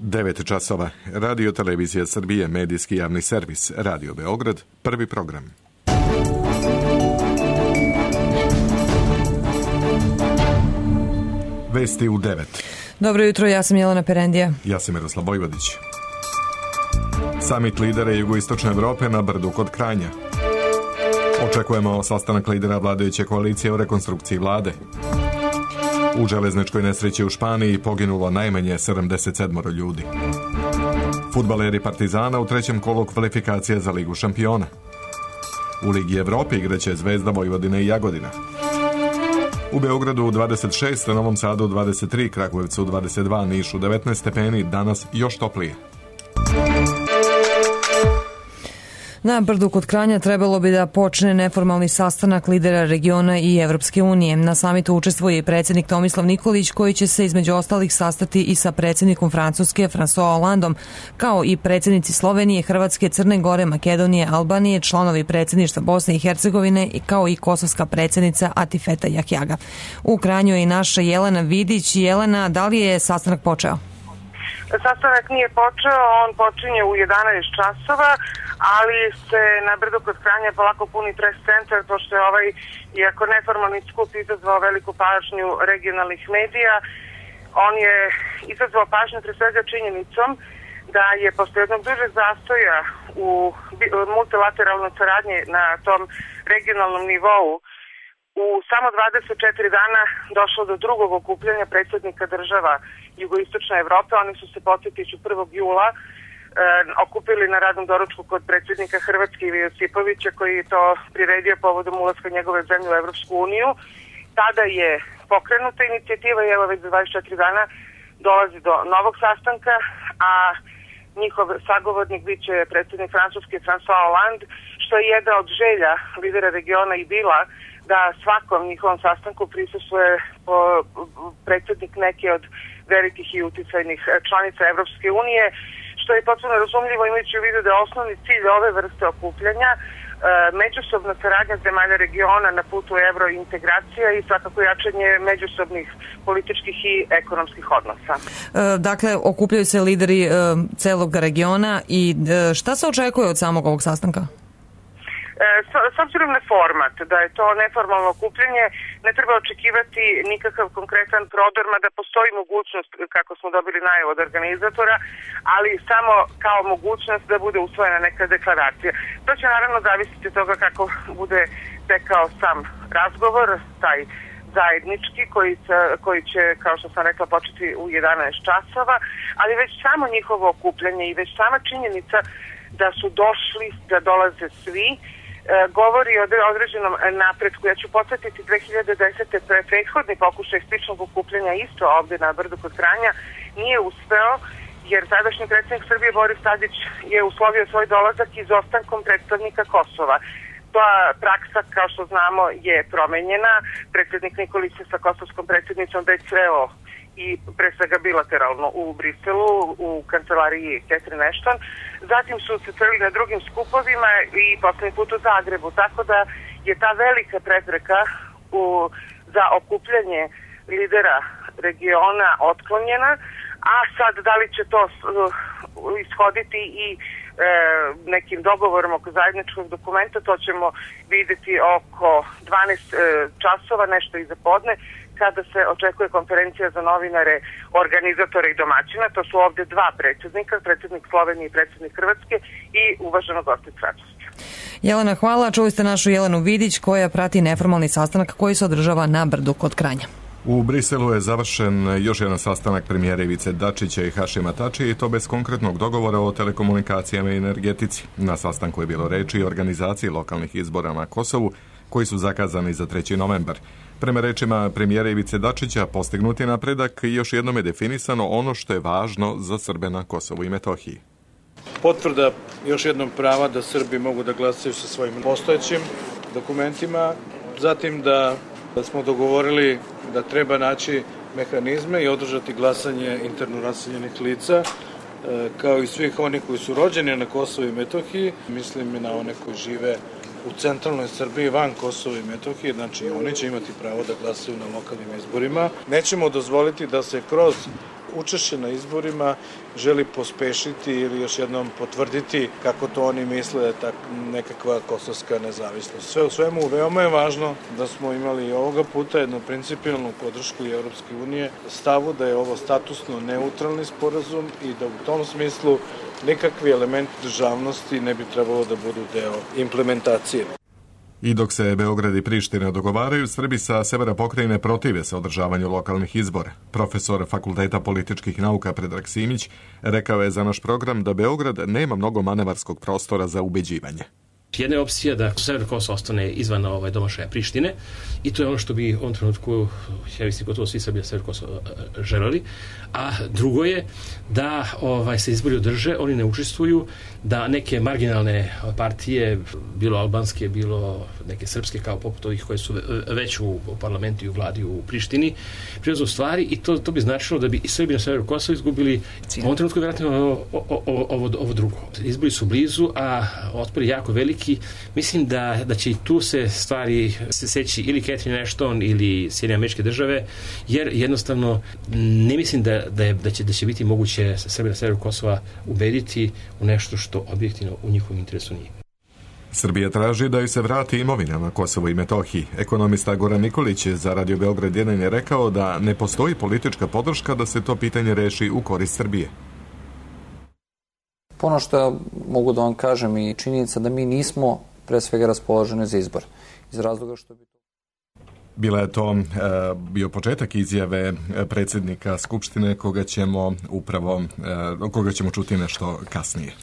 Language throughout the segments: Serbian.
9 časova. Radio Televizija Srbije, medijski javni servis, Radio Beograd, prvi program. Vesti u 9. Dobro jutro, ja sam Jelena Perendija. Ja sam Miroslav Vojvodić. Samit lidera Jugoistočne Evrope na Brdu kod Kranja. Očekujemo sastanak lidera vladajuće koalicije o rekonstrukciji vlade. U železničkoj nesreći u Španiji poginulo najmanje 77 ljudi. Fudbaleri Partizana u trećem kolu kvalifikacija za Ligu šampiona. U Ligi Evrope igraće Zvezda, Vojvodina i Jagodina. U Beogradu 26, Novom Sadu 23, Kragujevcu 22, Nišu 19 stepeni, danas još toplije. Na Brdu kod Kranja trebalo bi da počne neformalni sastanak lidera regiona i Evropske unije. Na samitu učestvuje i predsjednik Tomislav Nikolić, koji će se između ostalih sastati i sa predsjednikom Francuske François Hollandom, kao i predsjednici Slovenije, Hrvatske, Crne Gore, Makedonije, Albanije, članovi predsjedništva Bosne i Hercegovine, kao i kosovska predsjednica Atifeta Jahjaga. U Kranju je i naša Jelena Vidić. Jelena, da li je sastanak počeo? Sastanak nije počeo, on počinje u 11 časova, ali se na Brdu kod Kranja polako puni pres centar, pošto je ovaj, iako neformalni skup izazvao veliku pažnju regionalnih medija, on je izazvao pažnju pre svega činjenicom da je posle jednog dužeg zastoja u multilateralnoj saradnji na tom regionalnom nivou u samo 24 dana došlo do drugog okupljanja predsjednika država Jugoistočne Evrope. Oni su se, podsjetiću, 1. jula okupili na radnom doručku kod predsjednika Hrvatske Ive Josipovića, koji je to priredio povodom ulaska njegove zemlje u Evropsku uniju. Tada je pokrenuta inicijativa i evo već za 24 dana dolazi do novog sastanka, a njihov sagovornik bit će predsjednik Francuske François Hollande, što je jedna od želja lidera regiona i bila da svakom njihovom sastanku prisustvuje predsjednik neke od velikih i uticajnih članica Evropske unije, što je potpuno razumljivo imajući u vidu da je osnovni cilj ove vrste okupljanja međusobna saradnja zemalja regiona na putu evrointegracija i svakako jačanje međusobnih političkih i ekonomskih odnosa. Dakle, okupljaju se lideri celog regiona i šta se očekuje od samog ovog sastanka? S obzirom na format, da je to neformalno okupljanje, ne treba očekivati nikakav konkretan prodor, mada postoji mogućnost, kako smo dobili najavu od organizatora, ali samo kao mogućnost da bude usvojena neka deklaracija. To će naravno zavisiti od toga kako bude tekao sam razgovor, taj zajednički, koji će, kao što sam rekla, početi u 11 časova, ali već samo njihovo okupljanje i već sama činjenica da su došli, da dolaze svi, govori o određenom napretku. Ja ću podsjetiti 2010. prethodni pokušaj sličnog okupljanja isto ovdje na Brdu kod Kranja nije uspeo, jer tadašnji predsjednik Srbije Boris Tadić je uslovio svoj dolazak izostankom predstavnika Kosova. Ta praksa, kao što znamo, je promenjena. Predsjednik Nikolić se sa kosovskom predsjednicom već sreo i pre svega bilateralno u Briselu, u kancelariji Catherine Ashton. Zatim su se sreli na drugim skupovima i poslednji put u Zagrebu, tako da je ta velika prepreka za okupljanje lidera regiona otklonjena, a sad da li će to ishoditi i nekim dogovorom oko zajedničkog dokumenta, to ćemo vidjeti oko 12 časova, nešto iza podne, kada se očekuje konferencija za novinare, organizatora i domaćina. To su ovdje dva predsjednika, predsjednik Slovenije i predsjednik Hrvatske i uvaženo gosti Francuske. Jelena, hvala. Čuli ste našu Jelenu Vidić, koja prati neformalni sastanak koji se održava na Brdu kod Kranja. U Briselu je završen još jedan sastanak premijera Ivice Dačića i Hašima Tačija, i to bez konkretnog dogovora o telekomunikacijama i energetici. Na sastanku je bilo reči i organizaciji lokalnih izbora na Kosovu, koji su zakazani za 3. novembar. Prema rečima premijera Ivice Dačića, postignut je napredak i još jednom je definisano ono što je važno za Srbe na Kosovu i Metohiji. Potvrda još jednom prava da Srbi mogu da glasaju sa svojim postojećim dokumentima, zatim da smo dogovorili da treba naći mehanizme i održati glasanje interno raseljenih lica, kao i svih onih koji su rođeni na Kosovu i Metohiji, mislim na one koji žive u centralnoj Srbiji van Kosova i Metohije, znači oni će imati pravo da glasaju na lokalnim izborima. Nećemo dozvoliti da se kroz učešće na izborima želi pospešiti ili još jednom potvrditi kako to oni misle da je nekakva kosovska nezavisnost. Sve u svemu, veoma je važno da smo imali ovoga puta jednu principijalnu podršku i Evropske unije stavu da je ovo statusno neutralni sporazum i da u tom smislu nikakvi elementi državnosti ne bi trebalo da budu deo implementacije. I dok se Beograd i Priština dogovaraju, Srbi sa severa pokrajine protive se održavanju lokalnih izbora. Profesor Fakulteta političkih nauka Predrag Simić rekao je za naš program da Beograd nema mnogo manevarskog prostora za ubeđivanje. Jedna je opcija da sever Kosova ostane izvan domašaja Prištine i to je ono što bi u ovom trenutku, ja mislim, gotovo svi Srbija sever Kosova želeli. A drugo je da se izbori održe, oni ne učestvuju, da neke marginalne partije, bilo albanske, bilo neke srpske, kao poput ovih koje su već u parlamentu i u vladi u Prištini, preuzmu stvari i to bi značilo da bi i Srbi na severu Kosova izgubili u ovom trenutku vjerojatno ovo drugo. Izbori su blizu, a otpor je jako veliki. Mislim da će i tu se stvari seći ili Catherine Ashton ili Sjedinjene Američke Države, jer jednostavno ne mislim da će biti moguće Srbi na severu Kosova ubediti u nešto što objektivno u njihovom interesu nije. Srbija traži da joj se vrati imovina na Kosovo i Metohiji. Ekonomista Goran Nikolić za Radio Beograd 1 je rekao da ne postoji politička podrška da se to pitanje reši u korist Srbije. Ono što mogu da vam kažem i činjenica da mi nismo pre svega raspoloženi za izbor. Iz razloga što bi... Bila je to bio početak izjave predsjednika Skupštine koga ćemo čuti nešto kasnije.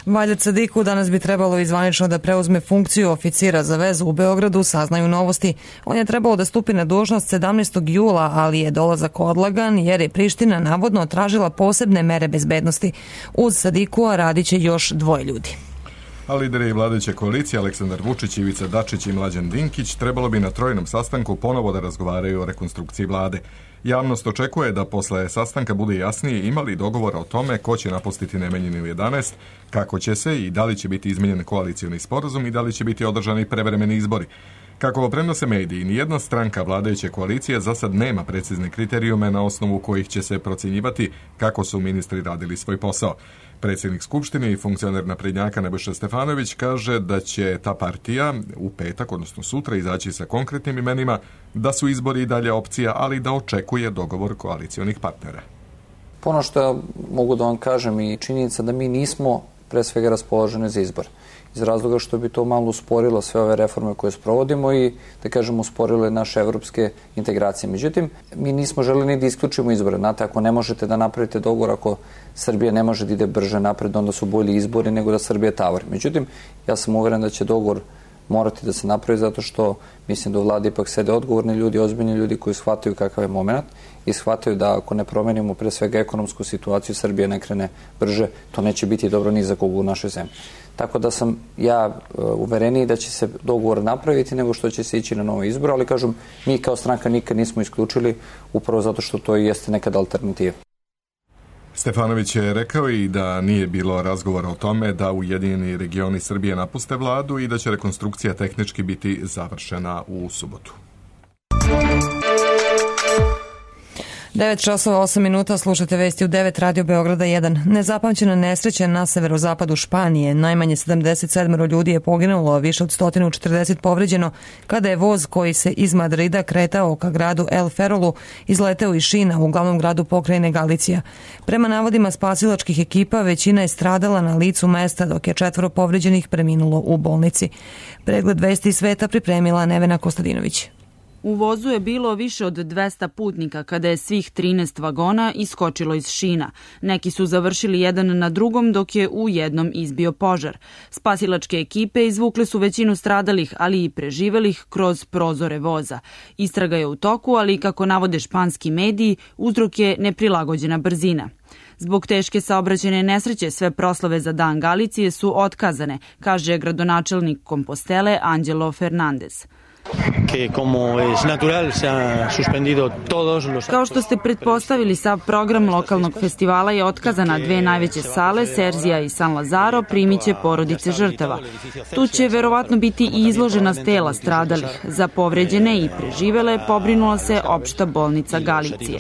Valjad Sadiku danas bi trebalo izvanično da preuzme funkciju oficira za vezu u Beogradu, saznaju Novosti. On je trebalo da stupi na dužnost 17. jula, ali je dolazak odlagan jer je Priština navodno tražila posebne mere bezbednosti. Uz Sadikua radit će još 2 ljudi. A lideri vladajuće koalicije Aleksandar Vučić, Ivica Dačić i Mlađan Dinkić trebalo bi na trojnom sastanku ponovo da razgovaraju o rekonstrukciji vlade. Javnost očekuje da posle sastanka bude jasnije imali dogovora o tome ko će napustiti Nemanjinu 11, kako će se i da li će biti izmenjen koalicioni sporazum i da li će biti održani prevremeni izbori. Kako prenose mediji, nijedna stranka vladajuće koalicije za sad nema precizne kriterijume na osnovu kojih će se procjenjivati kako su ministri radili svoj posao. Predsjednik Skupštine i funkcioner naprednjaka Nebojša Stefanović kaže da će ta partija u petak, odnosno sutra, izaći sa konkretnim imenima, da su izbori i dalje opcija, ali da očekuje dogovor koalicionih partnera. Ono što mogu da vam kažem i činjenica da mi nismo pre svega raspoloženi za izbor. Iz razloga što bi to malo usporilo sve ove reforme koje sprovodimo i, da kažemo, usporile naše evropske integracije. Međutim, mi nismo želeli ni da isključimo izbore. Znate, ako ne možete da napravite dogovor, ako Srbija ne može da ide brže napred, onda su bolji izbori nego da Srbija tavari. Međutim, ja sam uveren da će dogovor morati da se napravi zato što mislim da u vladi ipak sede odgovorni ljudi, ozbiljni ljudi koji shvataju kakav je moment i shvataju da ako ne promenimo pre svega ekonomsku situaciju, Srbija ne krene brže, to neće biti dobro ni za kogu u našoj zemlji. Tako da sam ja uvereniji da će se dogovor napraviti nego što će se ići na nove izbore, ali kažem, mi kao stranka nikad nismo isključili upravo zato što to i jeste nekad alternativa. Stefanović je rekao i da nije bilo razgovora o tome da Ujedinjeni regioni Srbije napuste vladu i da će rekonstrukcija tehnički biti završena u subotu. 9:08, slušate vesti u 9 Radio Beograda 1. Nezapamćena nesreća na severozapadu Španije. Najmanje 77 ljudi je poginulo, a više od 140 povređeno kada je voz koji se iz Madrida kretao ka gradu El Ferrolu izleteo iz šina u glavnom gradu pokrajine Galicija. Prema navodima spasilačkih ekipa, većina je stradala na licu mesta, dok je 4 povređenih preminulo u bolnici. Pregled vesti sveta pripremila Nevena Kostadinović. U vozu je bilo više od 200 putnika kada je svih 13 vagona iskočilo iz šina. Neki su završili jedan na drugom dok je u jednom izbio požar. Spasilačke ekipe izvukle su većinu stradalih, ali i preživelih kroz prozore voza. Istraga je u toku, ali kako navode španski mediji, uzrok je neprilagođena brzina. Zbog teške saobraćajne nesreće sve proslave za Dan Galicije su otkazane, kaže gradonačelnik Kompostele Anđelo Fernandez. Kao što ste pretpostavili, sav program lokalnog festivala je otkazan na dve najveće sale, Serzija i San Lazaro, primiće porodice žrtava. Tu će verovatno biti i izložena tela stradalih. Za povređene i preživele pobrinula se opšta bolnica Galicije.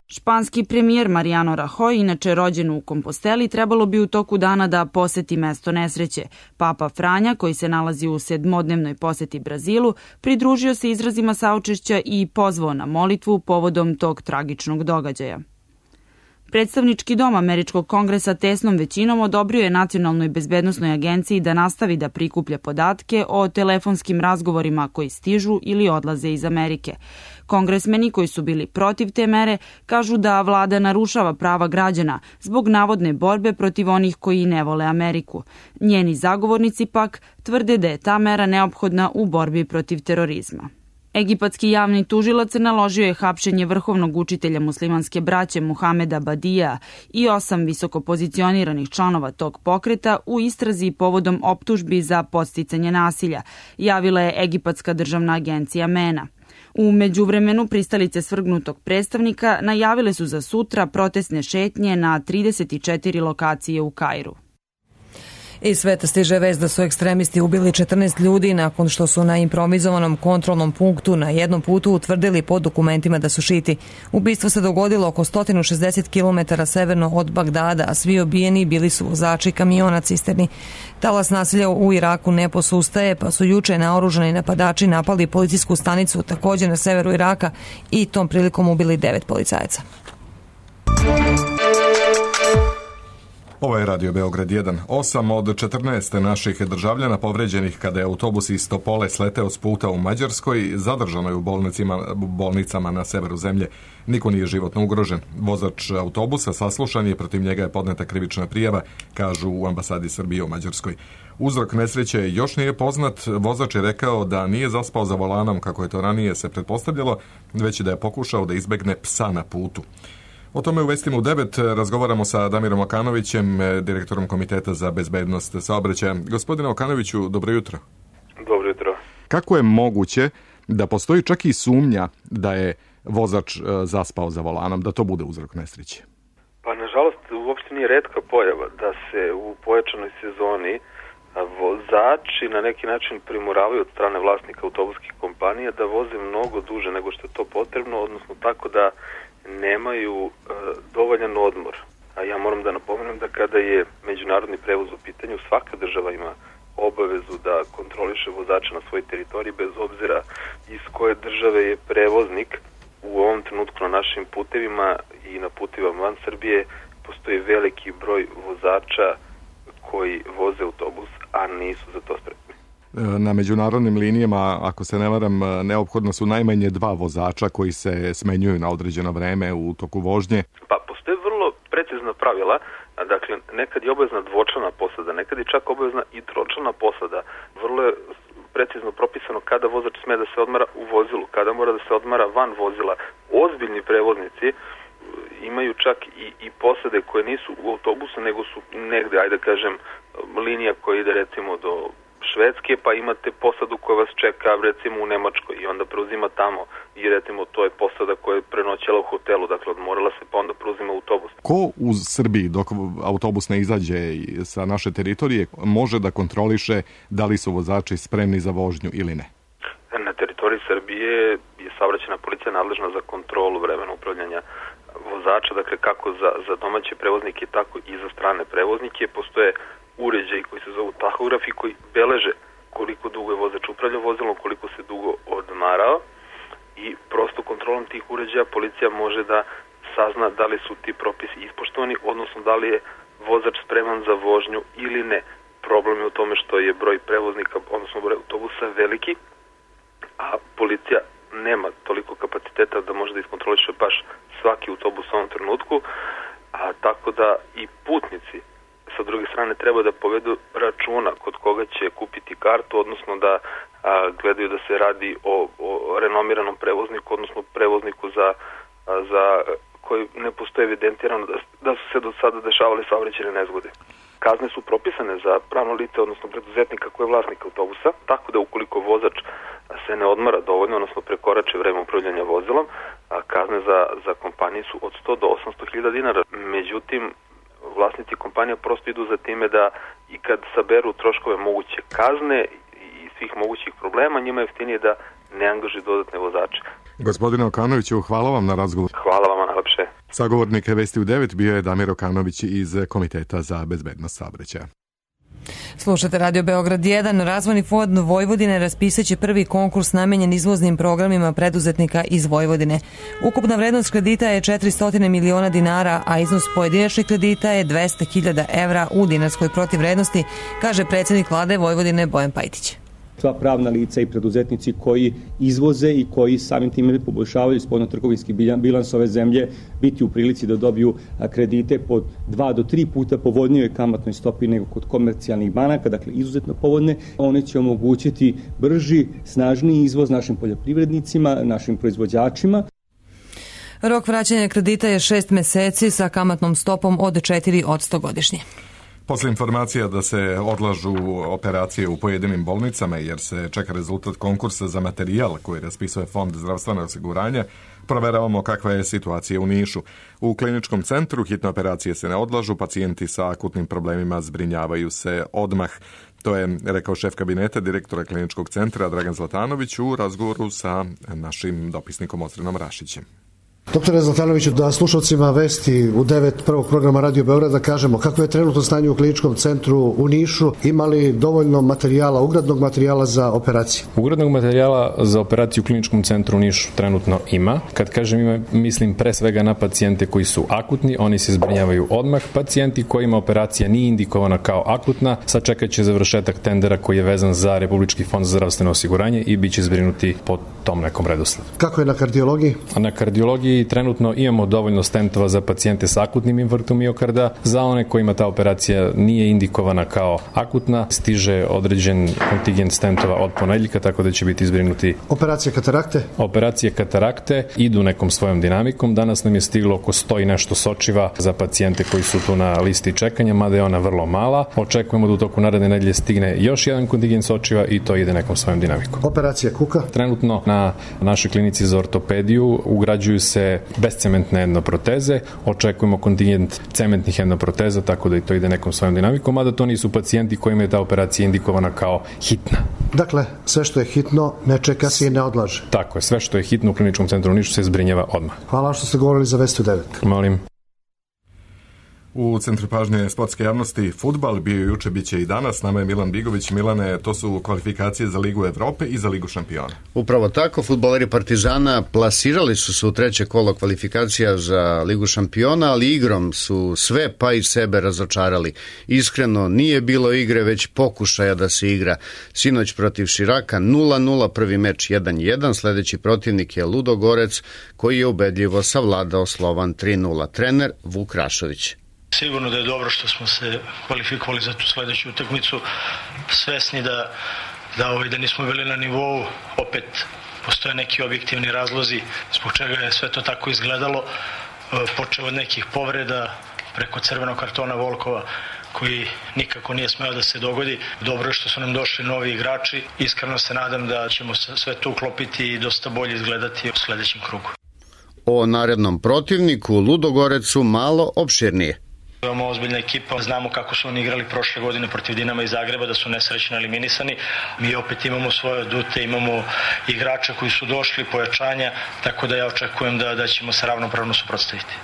Španski premijer Mariano Rajoy, inače rođen u Komposteli, trebalo bi u toku dana da poseti mesto nesreće. Papa Franja, koji se nalazi u 7-dnevnoj poseti Brazilu, pridružio se izrazima saučešća i pozvao na molitvu povodom tog tragičnog događaja. Predstavnički dom Američkog kongresa tesnom većinom odobrio je Nacionalnoj bezbednosnoj agenciji da nastavi da prikuplja podatke o telefonskim razgovorima koji stižu ili odlaze iz Amerike. Kongresmeni koji su bili protiv te mere kažu da vlada narušava prava građana zbog navodne borbe protiv onih koji ne vole Ameriku. Njeni zagovornici pak tvrde da je ta mera neophodna u borbi protiv terorizma. Egipatski javni tužilac naložio je hapšenje vrhovnog učitelja muslimanske braće Muhameda Badija i 8 visokopozicioniranih članova tog pokreta u istrazi povodom optužbi za podsticanje nasilja, javila je Egipatska državna agencija MENA. U međuvremenu pristalice svrgnutog predstavnika najavile su za sutra protestne šetnje na 34 lokacije u Kairu. Iz sveta stiže vest da su ekstremisti ubili 14 ljudi nakon što su na improvizovanom kontrolnom punktu na jednom putu utvrdili po dokumentima da su šiti. Ubistvo se dogodilo oko 160 km severno od Bagdada, a svi ubijeni bili su vozači kamiona cisterni. Talas nasilja u Iraku ne posustaje, pa su juče naoružani napadači napali policijsku stanicu također na severu Iraka i tom prilikom ubili 9 policajaca. Ovo je Radio Beograd 1. 8 od 14 naših državljana povređenih kada je autobus iz Topole sleteo s puta u Mađarskoj, zadržano je u bolnicama na severu zemlje. Niko nije životno ugrožen. Vozač autobusa saslušan je, protiv njega je podneta krivična prijava, kažu u ambasadi Srbije u Mađarskoj. Uzrok nesreće još nije poznat. Vozač je rekao da nije zaspao za volanom, kako je to ranije se pretpostavljalo, već da je pokušao da izbegne psa na putu. O tome u vestima u 9 razgovaramo sa Damirom Okanovićem, direktorom Komiteta za bezbednost saobraćaja. Gospodine Okanoviću, dobro jutro. Dobro jutro. Kako je moguće da postoji čak i sumnja da je vozač zaspao za volanom, da to bude uzrok nesreće? Pa nažalost uopšte nije retka pojava da se u pojačanoj sezoni vozači na neki način primoravaju od strane vlasnika autobuskih kompanija da voze mnogo duže nego što je to potrebno, odnosno tako da nemaju dovoljan odmor. A ja moram da napomenem da kada je međunarodni prevoz u pitanju, svaka država ima obavezu da kontroliše vozača na svoj teritoriji bez obzira iz koje države je prevoznik. U ovom trenutku na našim putevima i na putevima van Srbije postoji veliki broj vozača koji voze autobus, a nisu za to spremni. Na međunarodnim linijama, ako se ne varam, neophodno su najmanje 2 vozača koji se smenjuju na određeno vreme u toku vožnje. Pa postoje vrlo precizna pravila, dakle nekad je obavezna dvočlana posada, nekad je čak obavezna i tročlana posada. Vrlo je precizno propisano kada vozač sme da se odmara u vozilu, kada mora da se odmara van vozila. Ozbiljni prevoznici imaju čak i posade koje nisu u autobusu, nego su negde, ajde kažem, linija koja ide recimo do Švedske, pa imate posadu koja vas čeka recimo u Nemačkoj i onda preuzima tamo i recimo to je posada koja je prenoćela u hotelu, dakle odmorala se pa onda preuzima autobus. Ko u Srbiji dok autobus ne izađe sa naše teritorije može da kontroliše da li su vozači spremni za vožnju ili ne? Na teritoriji Srbije je saobraćajna policija nadležna za kontrolu vremena upravljanja vozača, dakle kako za domaće prevoznike tako i za strane prevoznike. Postoje uređaji koji se zovu tahografi koji beleže koliko dugo je vozač upravljao vozilom, koliko se dugo odmarao i prosto kontrolom tih uređaja policija može da sazna da li su ti propisi ispoštovani, odnosno da li je vozač spreman za vožnju ili ne. Problem je u tome što je broj prevoznika, odnosno broj autobusa veliki, a policija nema toliko kapaciteta da može da iskontroliše baš svaki autobus u ovom trenutku, a tako da i putnici sa druge strane treba da povedu računa kod koga će kupiti kartu, odnosno da gledaju da se radi o renomiranom prevozniku, odnosno prevozniku za koji ne postoji evidentirano da su se do sada dešavali saobraćajne nezgode. Kazne su propisane za pravno lice, odnosno preduzetnika koji je vlasnik autobusa, tako da ukoliko vozač se ne odmara dovoljno, odnosno prekorači vreme upravljanja vozilom, kazne za kompanije su od 100 do 800.000 dinara. Međutim, vlasnici kompanija prosto idu za time da i kad saberu troškove moguće kazne i svih mogućih problema, njima je jeftinije da ne angaži dodatne vozače. Gospodine Okanoviću, hvala vam na razgovor. Hvala vam najlepše. Sagovornik Vesti u 9 bio je Damir Okanović iz Komiteta za bezbednost saobraćaja. Slušate Radio Beograd 1. Razvojni fond Vojvodine raspisaće prvi konkurs namenjen izvoznim programima preduzetnika iz Vojvodine. Ukupna vrednost kredita je 400 miliona dinara, a iznos pojedinačnih kredita je 200.000 evra u dinarskoj protivvrednosti, kaže predsjednik vlade Vojvodine Bojan Pajtić. Sva pravna lica i preduzetnici koji izvoze i koji samim time poboljšavaju spoljnotrgovinski bilans ove zemlje biti u prilici da dobiju kredite po 2 do 3 puta povoljnijoj kamatnoj stopi nego kod komercijalnih banaka, dakle izuzetno povoljne. One će omogućiti brži, snažniji izvoz našim poljoprivrednicima, našim proizvođačima. Rok vraćanja kredita je 6 meseci sa kamatnom stopom od 4% godišnje. Posle informacija da se odlažu operacije u pojedinim bolnicama jer se čeka rezultat konkursa za materijal koji raspisuje Fond zdravstvenog osiguranja, proveravamo kakva je situacija u Nišu. U kliničkom centru hitne operacije se ne odlažu, pacijenti sa akutnim problemima zbrinjavaju se odmah. To je rekao šef kabineta direktora kliničkog centra Dragan Zlatanović u razgovoru sa našim dopisnikom Osrenom Rašićem. Doktore Zlatanoviću, da slušalcima Vesti u 9 prvog programa Radio Beograda kažemo kako je trenutno stanje u kliničkom centru u Nišu, imali dovoljno materijala, ugradnog materijala za operacije? Ugradnog materijala za operaciju u kliničkom centru u Nišu trenutno ima. Kad kažem ima, mislim pre svega na pacijente koji su akutni, oni se zbrinjavaju odmah. Pacijenti kojima operacija nije indikovana kao akutna, sačekat će završetak tendera koji je vezan za Republički fond za zdravstveno osiguranje i bit će zbrinuti po tom nekom redosledu. Kako je na kardiologiji? A na kardiologiji trenutno imamo dovoljno stentova za pacijente sa akutnim infarktom miokarda. Za one kojima ta operacija nije indikovana kao akutna, stiže određen kontingent stentova od ponedeljka, tako da će biti zbrinuti. Operacije katarakte? Operacije katarakte idu nekom svojom dinamikom. Danas nam je stiglo oko 100 i nešto sočiva za pacijente koji su tu na listi čekanja, mada je ona vrlo mala. Očekujemo da u toku naredne nedelje stigne još jedan kontingent sočiva i to ide nekom svojom dinamikom. Operacija kuka? Trenutno na našoj klinici za ortopediju ugrađuju se bezcementne endoproteze, očekujemo kontingent cementnih endoproteza, tako da i to ide nekom svojom dinamikom, mada to nisu pacijenti kojima je ta operacija indikovana kao hitna. Dakle, sve što je hitno ne čeka se i ne odlaže. Tako je, sve što je hitno u kliničkom centru u Nišu se zbrinjava odmah. Hvala što ste govorili za Vesti u 9. Molim. U centru pažnje sportske javnosti fudbal bio juče, bit će i danas. Nama je Milan Bigović. Milane, to su kvalifikacije za Ligu Evrope i za Ligu šampiona. Upravo tako, fudbaleri Partizana plasirali su se u treće kolo kvalifikacija za Ligu šampiona, ali igrom su sve pa i sebe razočarali. Iskreno, nije bilo igre, već pokušaja da se igra. Sinoć protiv Širaka 0-0, prvi meč 1-1, sledeći protivnik je Ludogorec, koji je ubedljivo savladao Slovan 3-0. Trener Vuk Rašović. Sigurno da je dobro što smo se kvalifikovali za tu sledeću utakmicu, svesni da nismo bili na nivou, opet postoje neki objektivni razlozi zbog čega je sve to tako izgledalo, počeo od nekih povreda preko crvenog kartona Volkova koji nikako nije smeo da se dogodi. Dobro je što su nam došli novi igrači, iskreno se nadam da ćemo sve to uklopiti i dosta bolje izgledati u sledećem krugu. O narednom protivniku Ludogorecu malo opširnije. Imamo ozbiljna ekipa, znamo kako su oni igrali prošle godine protiv Dinama iz Zagreba, da su nesrećno eliminisani. Mi opet imamo svoje adute, imamo igrača koji su došli, pojačanja, tako da ja očekujem da ćemo se ravnopravno suprotstaviti.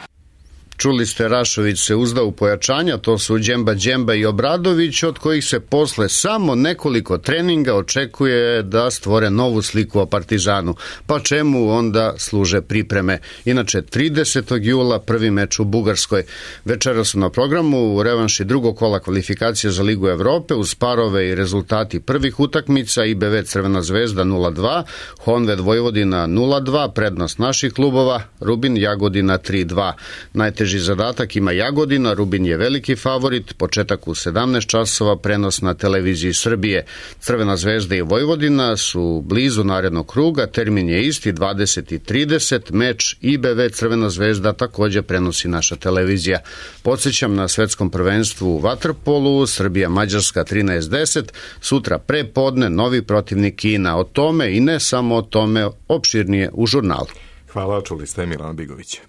Čuli ste, Rašović se uzdao u pojačanja, to su Džemba i Obradović, od kojih se posle samo nekoliko treninga očekuje da stvore novu sliku o Partizanu. Pa čemu onda služe pripreme? Inače, 30. jula prvi meč u Bugarskoj. Večera su na programu u revanši drugog kola kvalifikacije za Ligu Evrope uz parove i rezultati prvih utakmica: IBV Crvena zvezda 0-2, Honved Vojvodina 0-2, prednost naših klubova, Rubin Jagodina 3-2. Najteži Najteži zadatak ima Jagodina, Rubin je veliki favorit, početak u 17 časova, prenos na televiziji Srbije. Crvena zvezda i Vojvodina su blizu narednog kruga, termin je isti, 20:30, meč IBV Crvena zvezda takođe prenosi naša televizija. Podsjećam na svetskom prvenstvu u vaterpolu, Srbija-Mađarska 13:10, sutra pre podne novi protivnik Kina. O tome i ne samo o tome, opširnije u žurnalu. Hvala, čuli ste Milana Bigovića.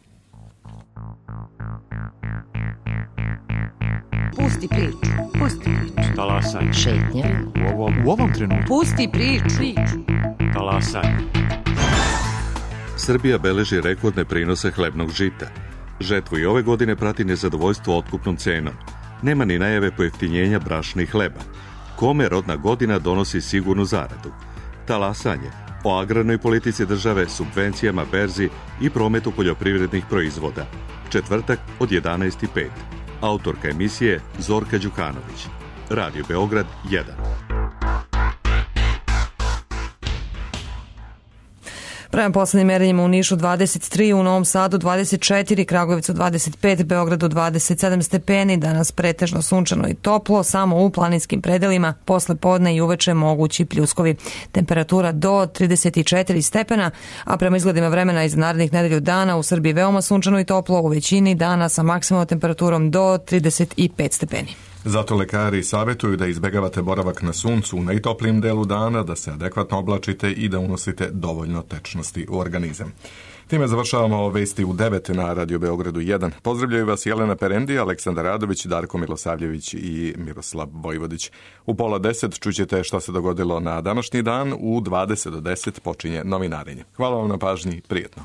Pusti priču. Pusti priču. Talasaj. Šetnja. U ovom trenutku. Pusti priču. Talasaj. Srbija beleži rekordne prinose hlebnog žita. Žetvu i ove godine prati nezadovoljstvo otkupnom cenom. Nema ni najave pojeftinjenja brašna i hleba. Kome rodna godina donosi sigurnu zaradu? Talasanje o agrarnoj politici države, subvencijama, berzi i prometu poljoprivrednih proizvoda. Četvrtak od 11:05. Autorka emisije Zorka Đukanović. Radio Beograd 1. Prema poslednjim merenjima u Nišu 23, u Novom Sadu 24, Kragujevcu 25, Beogradu 27 stepeni, danas pretežno sunčano i toplo, samo u planinskim predelima, posle podne i uveče mogući pljuskovi. Temperatura do 34 stepena, a prema izgledima vremena iz narednih nedelju dana u Srbiji veoma sunčano i toplo, u većini dana sa maksimalnom temperaturom do 35 stepeni. Zato lekari savjetuju da izbegavate boravak na suncu u najtoplijim delu dana, da se adekvatno oblačite i da unosite dovoljno tečnosti u organizam. Time završavamo vesti u 9 na Radio Beogradu 1. Pozdravljaju vas Jelena Perendi, Aleksandar Radović, Darko Milosavljević i Miroslav Vojvodić. U 9:30 čućete šta se dogodilo na današnji dan, u 20 do 10 počinje novinarenje. Hvala vam na pažnji, prijetno.